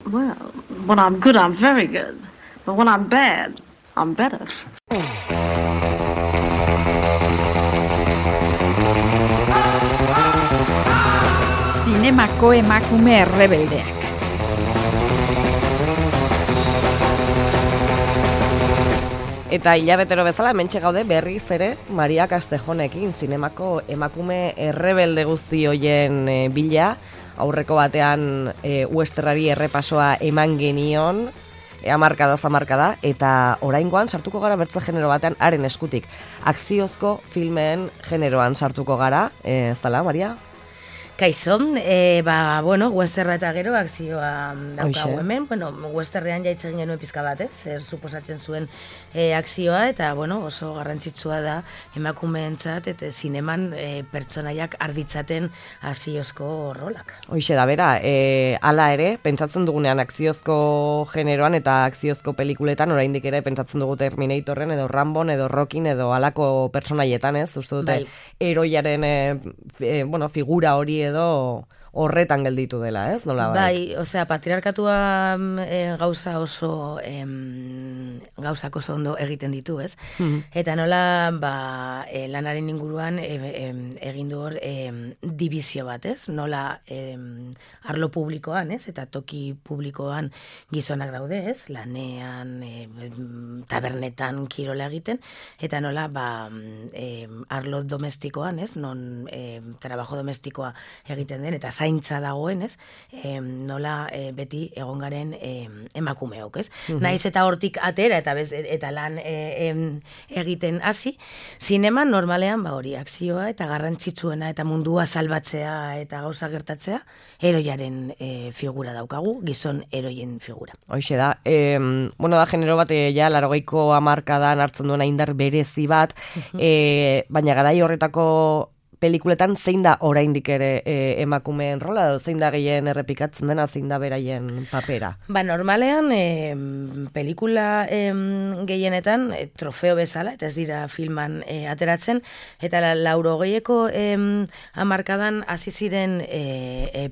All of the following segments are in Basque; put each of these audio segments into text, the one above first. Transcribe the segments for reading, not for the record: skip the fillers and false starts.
Well, when I'm good, I'm very good. But when I'm bad, I'm better. Zinemako emakume errebeldeak. Eta hilabetero bezala hementxe gaude berriz ere Maria Castejonekin, zinemako emakume errebelde guzti hoien bila. Aurreko batean Westerrari errepasoa eman genion, hamarkada, eta oraingoan sartuko gara bertze genero batean haren eskutik. Akziozko filmeen generoan sartuko gara, ez dela, Maria? Kaixo, westerra eta gero akzioa daukagu hemen. Westerrean jaitzen genuen pizka bat, zer suposatzen zuen akzioa, eta oso garrantzitsua da emakumeentzat eta zineman pertsonaiak arditzaten akziozko rolak. Hoixe da, bera, hala ere, pentsatzen dugunean akziozko generoan eta akziozko pelikuletan, oraindik ere pentsatzen dugu Terminatorren edo Rambon edo Rockin edo halako pertsonaietan, ez? Uste dute heroiaren figura hori edo horretan gelditu dela, ez? Nola patriarkatua gauzak oso ondo egiten ditu, ez? Eta nola, lanaren inguruan egin du hor dibizio bat, ez? Nola arlo publikoan, ez? Eta toki publikoan gizonak daude, ez? Lanean, tabernetan kirola egiten, eta nola, arlo domestikoan, ez? Non trabajo domestikoa egiten den, eta zaintza dagoen, ez? Nola beti egon garen emakumeok, ez? Naiz eta hortik atera eta lan egiten hasi, zineman normalean hori akzioa eta garrantzitsuena eta mundua salbatzea eta gauza gertatzea, heroiaren figura daukagu, gizon heroien figura. Hoixe da, da genero bat ja 80ko hamarkadan hartzen duena indar berezi bat, baina garai horretako pelikuletan zein da oraindik ere emakumeen rola, edo zein da gehien errepikatzen dena, zein da beraien papera? Normalean, pelikula gehienetan trofeo bezala, eta ez dira filman ateratzen, eta 80ko hamarkadan hasi ziren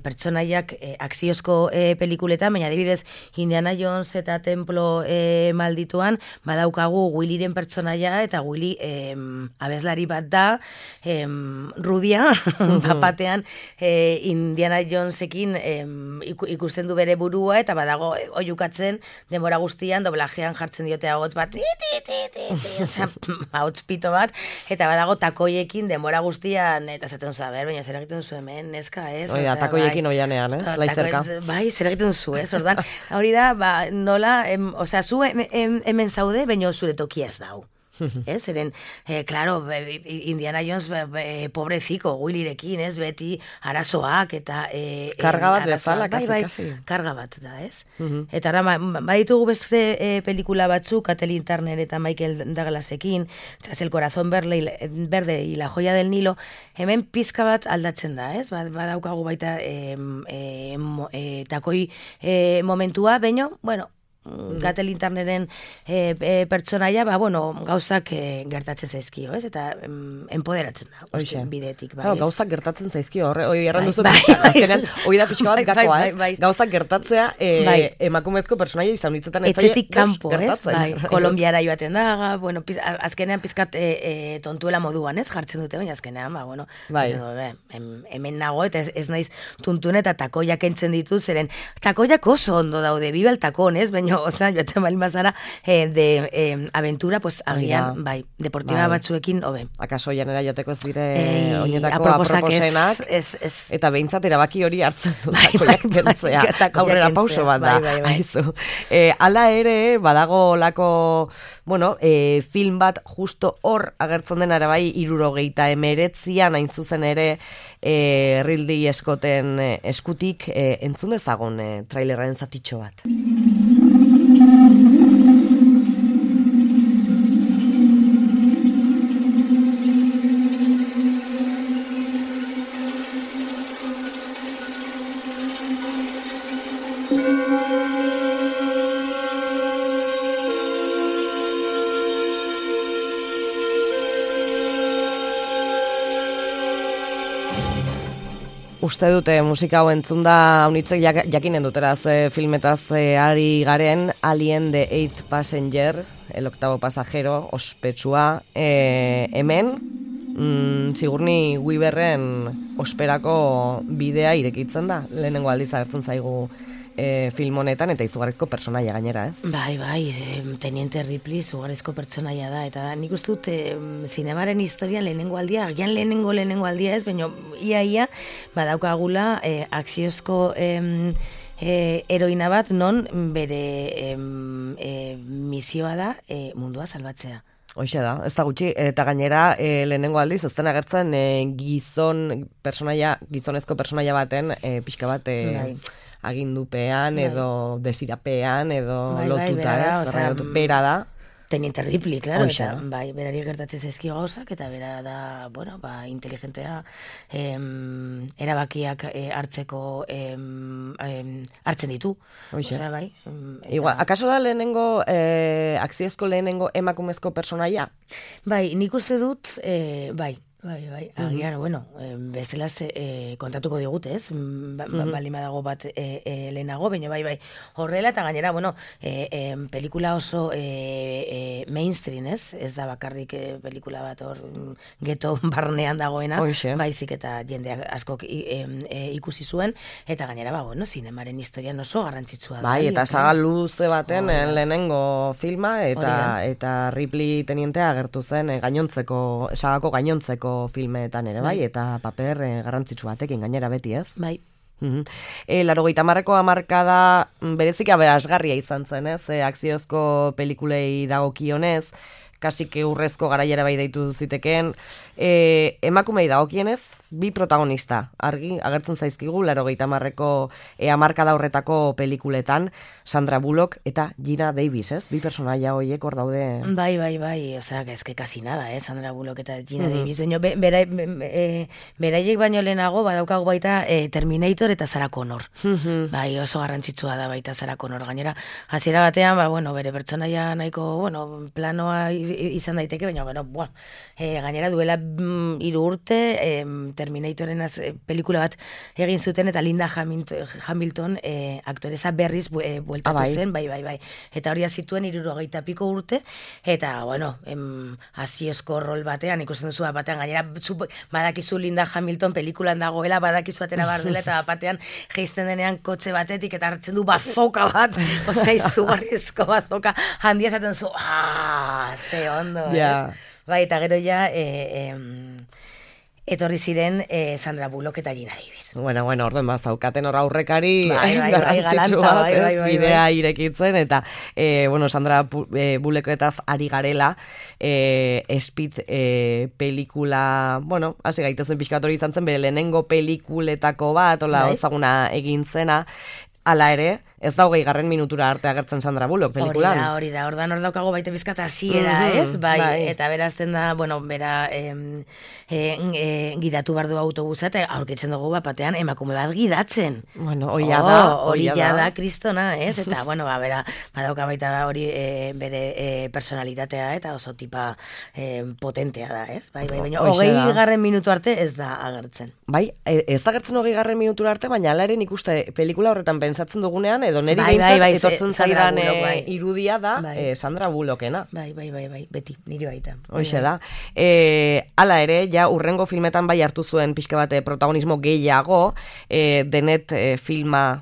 pertsonaiak akziozko pelikuletan, baina adibidez Indiana Jones eta Templo maldituan, badaukagu Willyren pertsonaia, eta Willy abeslari bat da, rubia, batean Indiana Jonesekin ikusten du bere burua, eta badago oiukatzen denbora guztian doblajean jartzen diote ahots bat, ahots pito bat, eta badago takoiekin denbora guztian, eta zaten zu, baina zer egiten zu hemen, neska, ez? Takoiekin oianean, ez? Laizterka. Bai, zer egiten zu, ez? Ordan, hori da, nola, zu hemen zaude, baina zure tokia ez dau. Eren, claro, Indiana Jones pobreziko, Willyrekin, ez, beti arazoak eta karga bat bezala, kasi. Karga bat da, ez? Eta ara, baditugu beste pelikula batzuk, Kathleen Turner eta Michael Douglasekin, Tras el corazón verde y la joya del Nilo, hemen pizka bat aldatzen da, ez? Badaukagu baita takoi momentua, baina, Kathleen Turneren pertsonaia, gauzak gertatzen zaizkio, ez? Eta empoderatzen da, bidetik. Gauzak gertatzen zaizkio, hori erranduzu, hori da pixka bat gakoa, ez? Gauzak gertatzea emakumezko pertsonaia izan ditzetan etxetik kanpo, ez? Kolombiara joaten da, azkenean pizkat tontuela moduan, ez? Jartzen dute, baina azkenean, hemen nago, eta ez naiz tuntun eta takoiak entzen ditu, zeren takoiak oso ondo daude, biba el takon, ez? Baina joaten balin bazara de aventura, agian, deportiba batzuekin, hobe. Akaso janera jateko ez dire oinetako aproposenak, eta behintzat erabaki hori hartzen du takoiak kentzea, aurrera pauso bat da. Hala ere, badago lako, film bat justo hor agertzen den ere bai 79an hain zuzen ere Ridley Scotten eskutik entzun dezagun trailerraren zatitxo bat. Uste dute musika hau entzunda unitzek jakinen duteraz filmetaz ari garen Alien the Eighth Passenger, el octavo pasajero, ospetsua, hemen Sigourney Weaverren osperako bidea irekitzen da, lehenengo aldiz agertzen zaigu film honetan, eta izugarrizko personaia gainera, ez? Bai, Teniente Ripley izugarrizko personaia da, eta nik uste dut zinemaren historian lehenengo aldia, agian lehenengo aldia ez, baina ia badaukagula akziozko heroina bat non bere misioa da mundua salbatzea. Hoxe da, ez da gutxi, eta gainera lehenengo aldiz, ez den agertzen gizonezko personaia baten pixka bat agindupean edo desirapean edo lotuta, bera da. Teniente Ripley, claro, eta berari gertatzen zaizkio gauzak, eta bera da, inteligentea erabakiak hartzeko hartzen ditu. Osea, bai. Igual, akaso da lehenengo, akziozko lehenengo emakumezko personaia? Bai, nik uste dut, bai, agian, bestelaz kontatuko digute, ez? Baldin badago bat lehenago, baina bai, horrela, eta gainera, pelikula oso mainstream, ez? Ez da bakarrik pelikula bat hor geto barnean dagoena, baizik eta jendeak askok ikusi zuen, eta gainera, zinemaren historian oso garrantzitsua da. Bai, eta saga luze baten lehenengo filma, eta Ripley tenientea agertu zen sagako gainontzeko filmeetan ere, bai, eta paper garrantzitsu batekin gainera beti, ez? Bai. 80ko hamarkada berezik aberasgarria izan zen, ez? Akziozko pelikulei dagokionez, kasik urrezko garaiera bai deitu zitekeen, emakumei dagokienez, bi protagonista, argi, agertzen zaizkigu, 80ko hamarkada horretako pelikuletan, Sandra Bullock eta Gina Davis, ez? Bi personaia horiek hor daude. Bai, osea, eske kasi nada, Sandra Bullock eta Gina Davis. Beraiek baino lehenago, badaukagu baita Terminator eta Sarah Connor. Bai, oso garrantzitsua da baita Sarah Connor. Gainera, hasiera batean, bere pertsonaia nahiko, planoa izan daiteke, baina, gainera duela 3 urte, Terminatoren pelikula bat egin zuten, eta Linda Hamilton aktoreza berriz bueltatu zen, bai. Eta hori zituen 70 piko urte, eta, hasiezko rol batean, ikusten duzu batean, gainera badakizu Linda Hamilton pelikulan dagoela, badakizu atera bardela, eta batean geizten denean kotxe batetik, eta hartzen du bazoka bat, izugarrizko bazoka, handia esaten zu, ze ondo, ez? Bai, eta gero ja, etorri ziren Sandra Bullock eta Gina Davis. Bueno, orduan zaukaten hor aurrekari garrantzitsu bat, bidea irekitzen, eta, Sandra Bullocketaz ari garela, Speed pelikula, hasi gaitezen pixkat hori izan zen, bere lehenengo pelikuletako bat, ezaguna egin zena, hala ere, ez da 20. minutura arte agertzen Sandra Bullock pelikulan. Hori da, ordan hor daukago baita bizkat hasiera, ez? Bai, eta berazten da, bera gidatu bardu autobusa, eta aurkitzen dugu batean emakume bat gidatzen. Hori da, kristona, ez? Eta, bera, badauka baita hori bere personalitatea, eta oso tipa potentea da, ez? Bai, baina 20. minutu arte ez da agertzen. Bai, ez da agertzen 20. minutura arte, baina alaren ikuste pelikula horretan pentsatzen dugunean, edo neri behintzat etortzen zaidan irudia da Sandra Bullockena. Bai, beti, niri baita. Hoxe da. Hala ere, ja urrengo filmetan bai hartu zuen pixka bate protagonismo gehiago, denet filma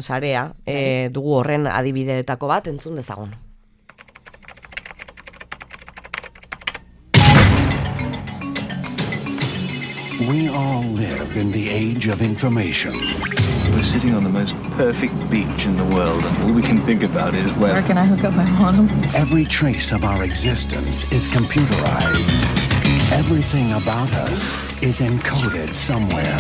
sarea, dugu horren adibideetako bat, entzun dezagun. We all live in the age of information. We're sitting on the most perfect beach in the world, and all we can think about is where can I hook up my modem? Every trace of our existence is computerized. Everything about us is encoded somewhere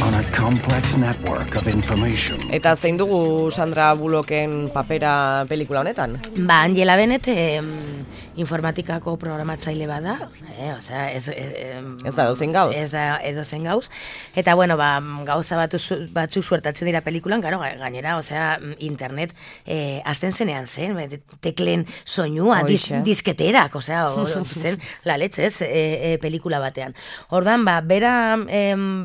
on a complex network of information. Eta zein dugu Sandra Bullocken papera pelikula honetan? Angela Bennett informatikako programatzaile bada, ez da edozein gauz. Ez da edozein gauz. Eta, gauza batzuk suertatzen dira pelikulan, gainera, internet azten zenean zen, teklen soinua, disketerak, zen la leche, pelikula batean. Ordan, bera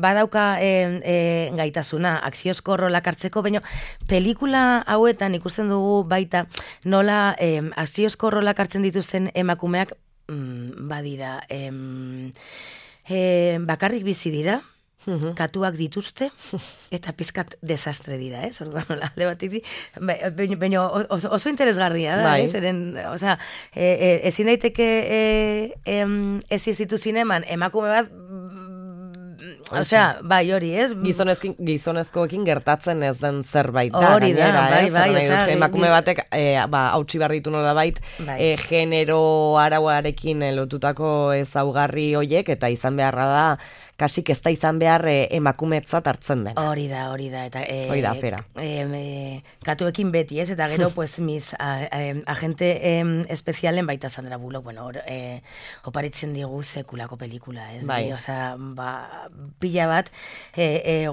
badauka gaitasuna, akziozko rolak hartzeko, baina pelikula hauetan ikusten dugu baita nola akziozko rolak hartzen dituzten emakumeak badira, bakarrik bizi dira, katuak dituzte, eta pizkat desastre dira, orduan nola, baina oso interesgarria da, osea, ezin daiteke ez izitu zineman, emakume bat, osea, bai, hori, Gizonezkoekin gertatzen ez den zerbait da, gainera, emakume batek, hautsi behar ditu nola bait, genero arauarekin lotutako ezaugarri hoiek, eta izan beharra da, kasik ez da izan behar emakumetzat hartzen den. Hori da, eta afera. Katuekin beti, eta gero, pues, mis agente espezialen baita Sandra Bullock, bueno, oparitzen digu sekulako pelikula, Bai. Osea, pila bat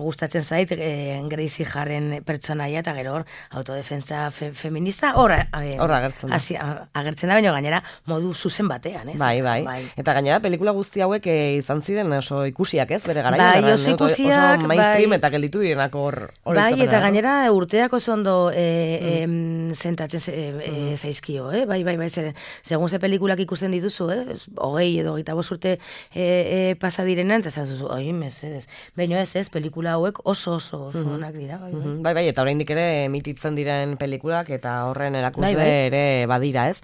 gustatzen zait Gracie Harren pertsonaia, eta gero autodefensa feminista, hor agertzen da, baina gainera modu zuzen batean, Bai. Eta gainera pelikula guzti hauek izan ziren oso ikusiak, bere garaian. Bai, oso ikusiak, mainstream eta gelditu direnak hor. Bai, eta gainera urteak oso ondo sentatzen zaizkio, bai, segun ze pelikulak ikusten dituzu, 20 edo 25 urte pasa direnean, eta zazuzu, oi, mesedes. Baina ez, pelikula hauek oso onak dira. Bai, eta oraindik ere emititzen diren pelikulak, eta horren erakusle ere badira, ez?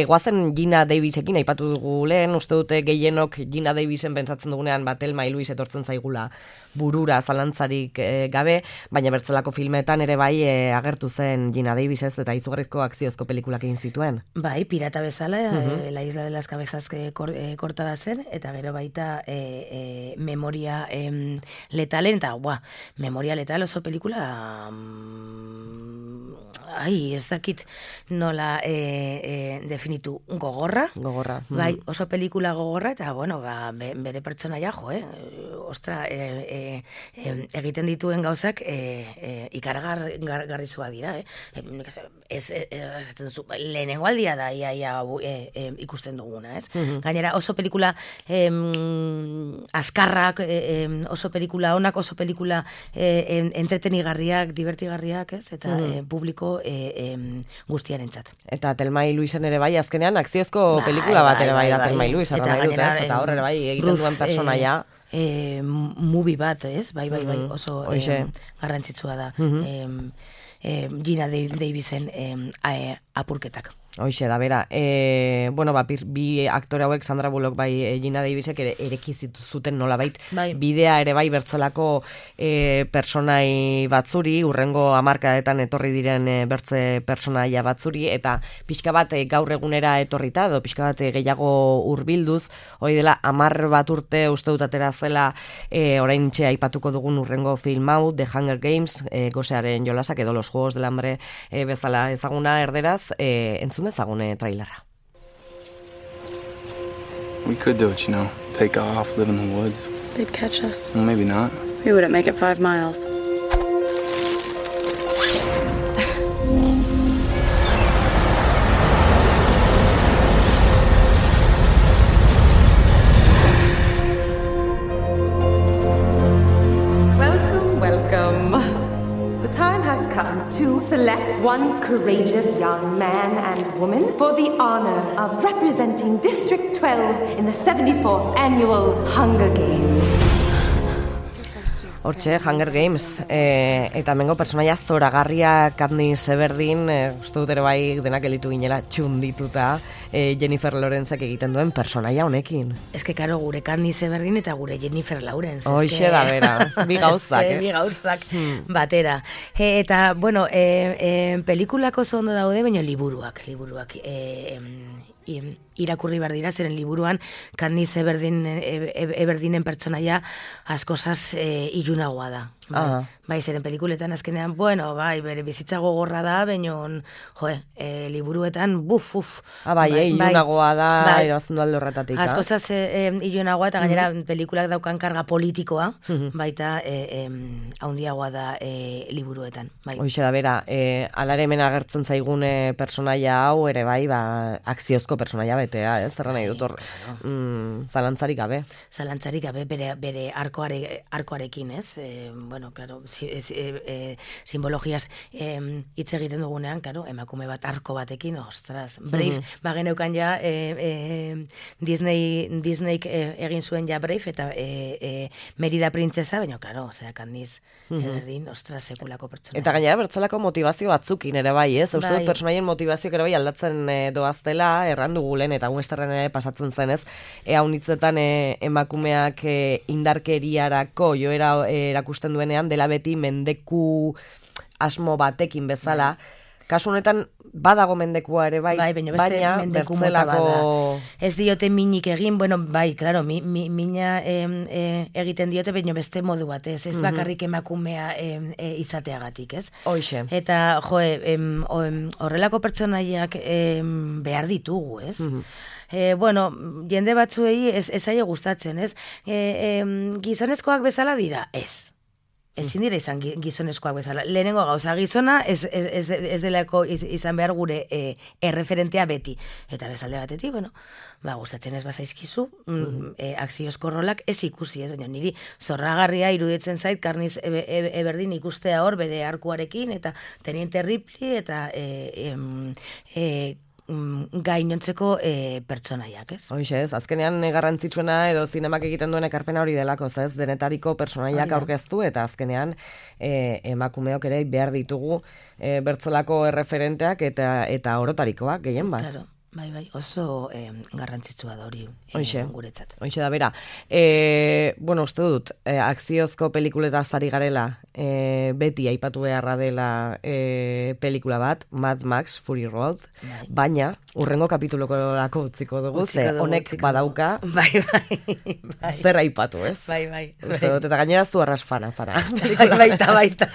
Goazen Gina Davisekin aipatu dugu lehen, uste dute gehienok Gina Davisen pentsatzen dugunean Thelma y Luis etortzen zaigula burura zalantzarik gabe, baina bertzelako filmetan ere bai agertu zen Gina Davis, eta izugarrizko akziozko pelikulak egin zituen. Bai, pirata bezala, La Isla de las Cabezas kortada zen, eta gero baita Memoria Letalen, eta Memoria Letal oso pelikula ez dakit nola definitu gogorra. Bai, oso pelikula gogorra, eta bueno, bere pertsonaia ostra, egiten dituen gauzak ikaragarrizua dira, lehenengo aldia da ikusten duguna, ez? Gainera oso pelikula azkarrak, oso pelikula onak, oso pelikula entretenigarriak, divertigarriak, ez? Eta publiko guztiarentzat. Eta Thelma y Luisen ere bai, azkenean akziozko pelikula bat ere bai da Thelma y Luis, eta horre bai egiten duen personaia. Movie bat, ez? Bai, oso garrantzitsua da. Gina Davisen apurketak. Hoixe da, bera. Bueno, bi aktore hauek, Sandra Bullock bai Gina Davisek ereki zuten nolabait bidea ere bai bertzelako personai batzuri, urrengo hamarkadetan etorri diren bertze personaia batzuri, eta pixka bat gaur egunera etorrita, edo pixka bat gehiago hurbilduz, hori dela 10 bat urte uste dut atera zela oraintxe aipatuko dugun urrengo film hau, The Hunger Games, gosearen jolasak edo Los Juegos del Hambre bezala ezaguna erderaz, entzun ezagune trailerra. We could do it, you know. Take off, live in the woods. They'd catch us. Well, maybe not. We wouldn't make it 5 miles. To select one courageous young man and woman for the honor of representing District 12 in the 74th Annual Hunger Games. Hortxe, Hunger Games, eta mengo personaia zoragarria Katniss Everdeen, uste dut ere bai denak elitu ginela txundituta Jennifer Lawrencek egiten duen personaia honekin. Ez que, karo, gure Katniss Everdeen eta gure Jennifer Lawrence. Hoixe da, bera, bi gauzak. Bi gauzak batera. Eta, bueno, pelikulako zondo daude, baina liburuak irakurri behar dira, zeren liburuan Katniss Everdeenen pertsonaia askozaz ilunagoa da. Bai, zeren pelikuletan azkenean, bueno, bai, bere bizitza gogorra da, baina, liburuetan, bai, ilunagoa da, irabazten du alde horretatik. Askozaz ilunagoa, eta gainera pelikulak daukan karga politikoa, baita haundiagoa da liburuetan. Bai. Hoxe da, bera, alare hemen agertzen zaigun personaia hau, ere bai, akziozko personaia betea, zerra nahi dut hor, zalantzarik gabe. Zalantzarik gabe, bere arkoarekin, ez? Bueno, claro, simbologiaz hitz egiten dugunean, claro, emakume bat arko batekin, ostras, Brave, bageneukan ja Disneyk egin zuen ja Brave, eta Merida Printzesa, baina, claro, zeak handiz, berdin, ostras, sekulako pertsona. Eta gainera, bertzelako motivazio batzukin ere bai, ez? Uste dut personaien motivazioak ere bai aldatzen doaztela, errandu gulen, eta westernen ere pasatzen zen, ez? Haunitzetan emakumeak indarkeriarako joera erakusten duenean, dela beti mendeku asmo batekin bezala. Kasu honetan badago mendekua ere bai, baina bertzelako... Ez diote minik egin, bueno, bai, claro, mina egiten diote, baina beste modu bat, ez bakarrik emakumea izateagatik, ez? Hoxe. Eta, horrelako pertsonaiak behar ditugu, ez? Bueno, jende batzuei ez zaio gustatzen, ez? Gizonezkoak bezala dira, ez. Ezin dira izan gizonezkoak bezala. Lehenengo gauza gizona ez delako izan behar gure erreferentea beti. Eta bezalde batetik, bueno, gustatzen ez bazaizkizu, akziozko rolak ez ikusi, ez? Niri zorragarria iruditzen zait, Karniz Eberdin ikustea hor bere arkuarekin, eta Teniente Ripley, eta gainontzeko pertsonaiak, ez? Hoxe, ez, azkenean garrantzitsuena edo zinemak egiten duen ekarpena hori delako, ez, denetariko pertsonaiak aurkeztu, eta azkenean emakumeok ere behar ditugu bertzelako erreferenteak eta orotarikoak, gehien bat. Claro. Bai, oso garrantzitsua da hori guretzat. Hoxe da, bera. Bueno, uste dut, akziozko pelikuletaz ari garela, beti aipatu beharra dela pelikula bat, Mad Max Fury Road, baina urrengo kapituloko utziko dugu, ze honek badauka zer aipatu, ez? Bai. Uste dut, eta gainera zu arrasfana zara. Baita.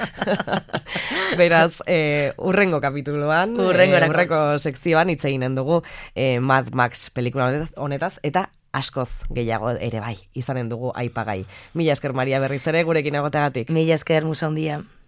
Beraz, urrengo kapituluan, urrengo sekzioan hitz eginen dugu Mad Max pelikula honetaz, eta askoz gehiago ere bai, izanen dugu aipagai. Mila esker, Maria, berriz ere gurekin egoteagatik. Mila esker, musa handia.